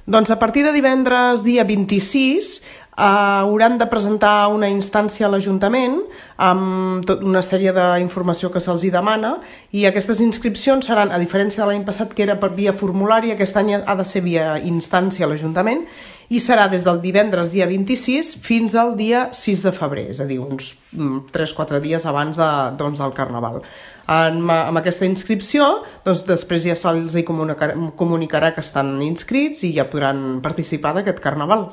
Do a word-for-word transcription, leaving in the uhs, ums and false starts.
Doncs a partir de divendres dia vint-i-sis eh, hauran de presentar una instància a l'Ajuntament amb tot una sèrie d'informació que se'ls hi demana, i aquestes inscripcions seran, a diferència de l'any passat que era per via formulari, aquest any ha de ser via instància a l'Ajuntament, i serà des del divendres dia vint-i-sis fins al dia sis de febrer, és a dir, uns tres o quatre dies abans de, doncs, del Carnaval. En, amb aquesta inscripció, doncs, després ja se'ls comunicarà, comunicarà que estan inscrits i ja podran participar d'aquest Carnaval.